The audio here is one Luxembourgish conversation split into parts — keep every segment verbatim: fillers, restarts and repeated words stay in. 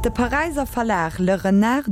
De Paräisser Verlag Le Renard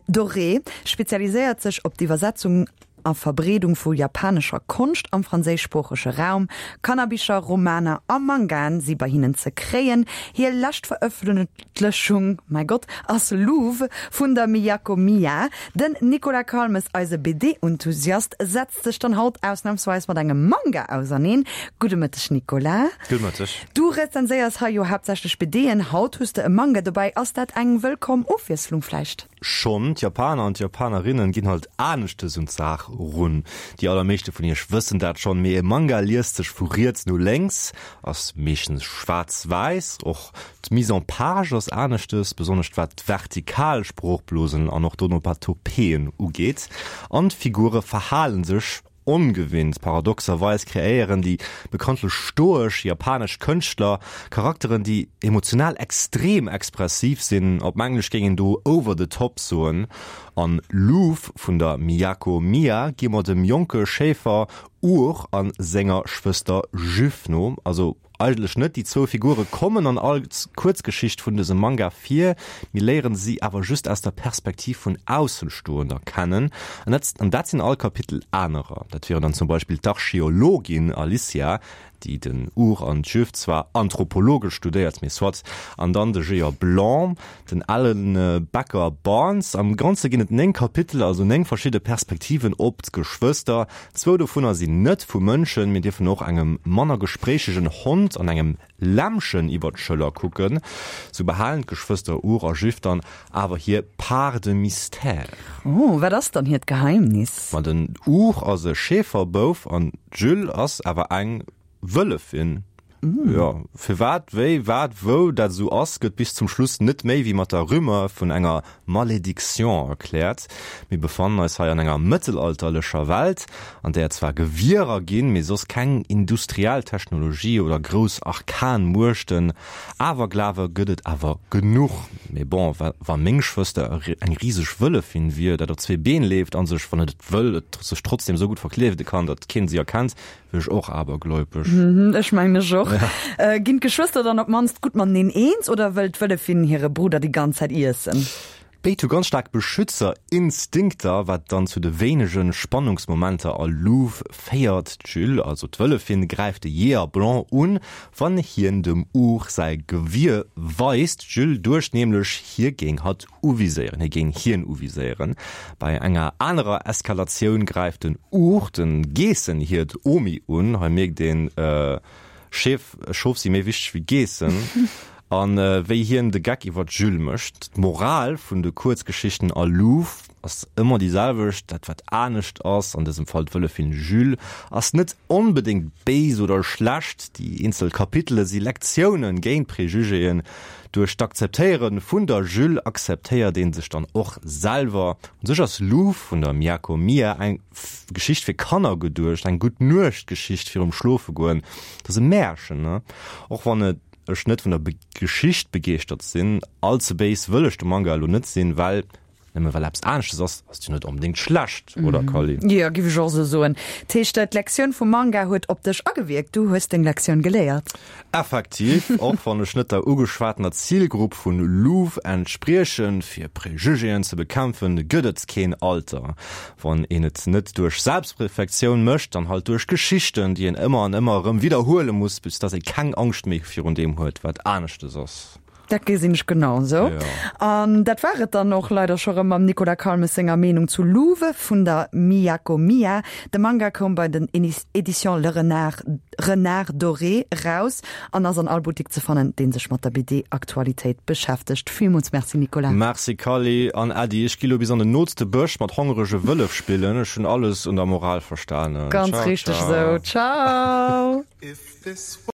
Doré spezialiséiert sech op d'Iwwersetzung a Verbreedung vu japanescher Konscht am franséischsproochege Raum. Kannerbicher, Romaner a Mangaen si bei hinnen ze kréien. Hir lescht Verëffentlechung, mäi Gott, ass Luv vun der Miyako Miya. Den Nicolas Calmes, eise BD-Enthusiast, setzt sech dann haut ausnamsweis mat engem Manga auserneen. Gudde Mëtteg Nicolas. Gudde Mëtteg. Du rezenséiers hei jo haaptsächlech BDen, haut hues de e Manga dobäi. Ass dat eng wëllkomm Ofwiesslung vläicht? Schonn, d'Japaner an d'Japanerinnen ginn halt aneschtes un d'Saach run. Déi allermeeschte vun iech wëssen dat schonn, mee e Manga liest sech vu riets no lénks, ass meeschtens schwaarz-wäiss, och d'Mise en page ass aneschtes, besonnesch wat d'vertikal Sproochblosen an och d'Onomatopeen ugeet, an d'Figure verhale sech Ongewinnt. Paradoxerweis kreéieren déi bekanntlech stoesch japanesch Kënschtler Charakteren, déi emotional extrem expressiv sinn, op Englesch géing een do over the top soen. An Luv vun der Miyako Miya gi mer dem jonke Schéifer Ur a senger Schwëster Jyf no. Also Eigentlech net, déi zwou Figure kommen an all Kuerzgeschicht vun dësem Manga vir, mir léieren si awer just aus der Perspektiv vun Aussenstoender kennen, an dat an dat sinn all Kapitel anerer. Dat wieren dann zum Beispill d'Archeologin Alicia, déi den Ur an d'Juif zwar anthropologesch studéiert, mee soit, an dann de Jeeër Blanc, den alen Bäcker Barnes. Am Ganze ginn et néng Kapitel, also néng verschidde Perspektiven op d'Geschwëster. Zwou dovunner sinn net vu Mënschen. Mir dierfen och engem manner gespréichegen Hond an engem Lämmchen iwwer d'Schëller kucken. Sou behalen d'Geschwëster Ur a Jyf dann awer hir Part de mystère. Oh, wat ass dann hiert Geheimnis? Ma den Ur ass e Schäferbouf an d'Jyll ass awer eng Wëllefin. Jo, firwat, wéi, wat, wou dat esou ass, gëtt bis zum Schluss net méi wéi mat der Rumeur vun enger Malédiction erkläert. Mir befannen eis hei an enger mëttelalterlecher Welt, an där et zwar Gewierer ginn, mee soss keng industriell Technologie oder grouss arkan Muechten. Awerglawe gëtt et awer genuch. Mee bon, wa meng Schwëster eng riseg Wëllefin wier, dat op zwee Been leeft a sech, wann et et wëll, et sech trotzdem esou gutt verkleede kann, datt keen si erkennt, Wier ech och abergläubesch. Ech mengen ech och. Ginn d'Geschwëster dann op d'mannst gutt mateneen eens oder wëll d'Wëllefin hire Brudder déi ganz Zäit iessen? Béid hu ganz staark Beschützerinstinkter, wat dann zu de wéinege Spannungsmomenter a Luv féiert. D'Jules, also d'Wëllefin, gräift de Jeeër Blanc un, wann hien dem Ur säi Gewier weist. D'Jules duecht nämlech, hie géing hatt uviséieren, hie géing hien uviséieren. Bei enger anerer Eskalatioun gräift den Ur de Geessenhiert Omi un. Hei mierkt een, Scheef, Schof si méi wichteg wéi Geessen. A wéi hien de Geck iwwer d'Jules mécht. D'Moral vun de Kuerzgeschichten a Luv ass ëmmer déi selwecht, dat wat anescht ass, an dësem Fall d'Wëllefin Jules, ass net onbedéngt béis oder schlecht. Déi eenzel Kapitele si Lektiounen géint Prejugéen. Duerch d'Akzeptéiere vun der Jules akzeptéiert ee sech dann och selwer. U sech ass Luv vun der Miyako Miya eng Geschicht fir Kanner geduecht, eng Gutt-Nuecht-Geschicht virum Schlofegoen. Et ass e Märchen, ne? Och wann ech net vun der Geschicht begeeschtert sinn. All ze béis wëll ech dem Manga elo net sinn, well Nëmme well eppes aneschtes ass, ass et jo net onbedéngt schlecht, oder Kally? Jo, giff ech och esou soen. Dat heescht, d'Lektioun vum Manga huet op dech agewierkt, du hues deng Lektioun geléiert. Effektiv, och wann ech net der ugeschwatener Zilgrupp vun Luv entspriechen, fir Prejugéen ze bekämpfen, gëtt et keen Alter. Wann een et net duerch Selbstreflektioun mécht, dann halt duerch Geschichten, déi een ëmmer an ëmmer erëm widderhuele muss, bis dass ee keng Angscht méi virun deem huet, wat aneschtes ass. Dat gesinn ech genau esou. An dat war et dann och leider scho rëm mam Nicolas Calmes senger Meenung zu Luv vun der Miyako Miya. De Manga koum bei den Editions Le Renard, Renard Doré eraus an ass an all Buttik ze fannen, dee sech mat der B D-Aktualitéit beschäftegt. Villmools Merci Nicolas. Merci Kally an Äddi. Ech gi lo bis an den nootste Bësch mat hongerege Wëllef spillen. Ech hunn alles un der Moral verstanen. Ganz richteg esou. Ciao.